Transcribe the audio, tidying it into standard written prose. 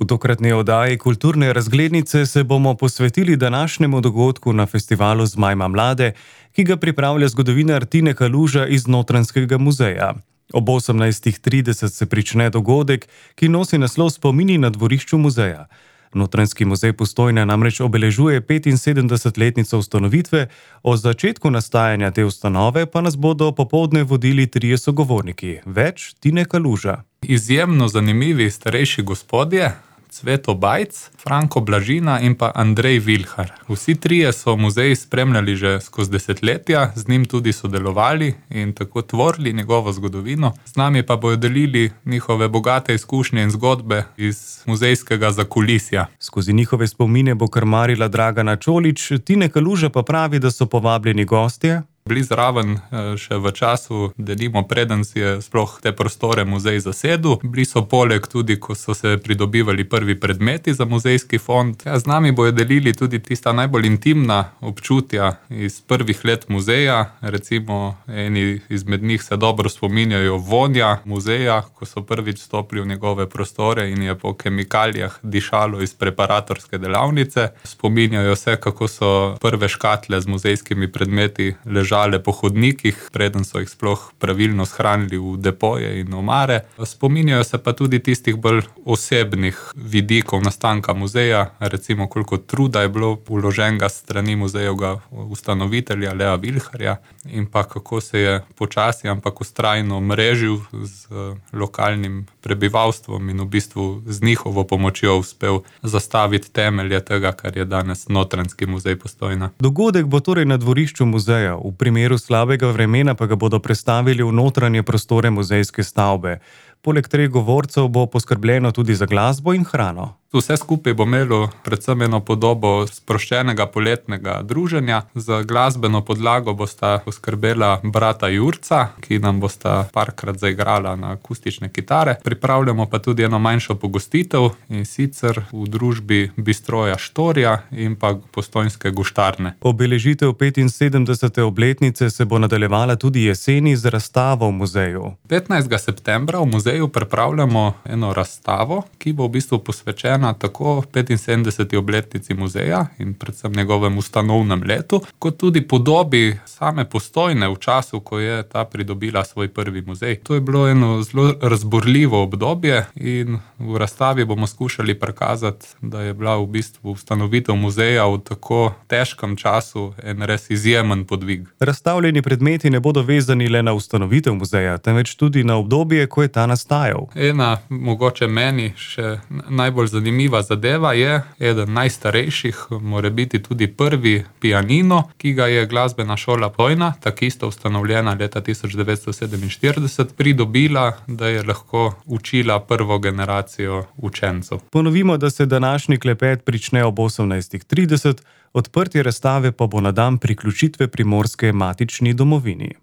V tokratni oddaji Kulturne razglednice se bomo posvetili današnjemu dogodku na festivalu Zmajma mlade, ki ga pripravlja zgodovinar Tine Kaluža iz Notranjskega muzeja. Ob 18:30 se prične dogodek, ki nosi naslov Spomini na dvorišču muzeja. Notranjski muzej Postojna namreč obeležuje 75-letnico ustanovitve, o začetku nastajanja te ustanove pa nas bodo popoldne vodili trije sogovorniki. Več Tine Kaluža. Izjemno zanimivi starejši gospodje, Cveto Bajc, Franko Blažina in pa Andrej Vilhar. Vsi trije so muzej spremljali že skozi desetletja, z njim tudi sodelovali in tako tvorili njegovo zgodovino. Z nami pa bojo delili njihove bogate izkušnje in zgodbe iz muzejskega zakulisja. Skozi njihove spomine bo krmarila Dragana Čolić, Tine Kaluža pa pravi, da so povabljeni gostje bili zraven še v času, denimo preden si je sploh te prostore muzej zasedel. Bili so poleg tudi, ko so se pridobivali prvi predmeti za muzejski fond. Z nami bojo delili tudi tista najbolj intimna občutja iz prvih let muzeja. Recimo, eni izmed njih se dobro spominjajo vonja muzeja, ko so prvič stopili v njegove prostore in je po kemikalijah dišalo iz preparatorske delavnice. Spominjajo se, kako so prve škatle z muzejskimi predmeti ležali po hodnikih, preden so jih sploh pravilno shranili v depoje in omare. Spominjajo se pa tudi tistih bolj osebnih vidikov nastanka muzeja, recimo koliko truda je bilo vloženega s strani muzejevega ustanovitelja Lea Vilharja in pa kako se je počasi, ampak vztrajno mrežil z lokalnim prebivalstvom in v bistvu z njihovo pomočjo uspel zastaviti temelje tega, kar je danes Notranjski muzej Postojna. Dogodek bo torej na dvorišču muzeja, v primeru slabega vremena pa ga bodo prestavili v notranje prostore muzejske stavbe. Poleg treh govorcev bo poskrbljeno tudi za glasbo in hrano. Vse skupaj bo imelo predvsem eno podobo sproščenega poletnega druženja. Za glasbeno podlago bosta poskrbela brata Jurca, ki nam bosta parkrat zaigrala na akustične kitare. Pripravljamo pa tudi eno manjšo pogostitev, in sicer v družbi Bistroja Štorja in pa Postojnske guštarne. Obeležitev 75. obletnice se bo nadaljevala tudi jeseni z razstavo v muzeju. 15. septembra v muzeju pripravljamo eno razstavo, ki bo v bistvu posvečena tako 75. obletnici muzeja in predvsem njegovem ustanovnem letu, kot tudi podobi same Postojne v času, ko je ta pridobila svoj prvi muzej. To je bilo eno zelo razburljivo obdobje in v razstavi bomo skušali prikazati, da je bila v bistvu ustanovitev muzeja v tako težkem času en res izjemen podvig. Razstavljeni predmeti ne bodo vezani le na ustanovitev muzeja, temveč tudi na obdobje, ko je ta nastajal. Ena, mogoče meni še najbolj zanimiva zadeva je eden najstarejših, mora biti tudi prvi pianino, ki ga je glasbena šola Postojna, takisto ustanovljena leta 1947, pridobila, da je lahko učila prvo generacijo učencev. Ponovimo, da se današnji klepet prične ob 18:30, odprtje razstave pa bo na dan priključitve Primorske matični domovini.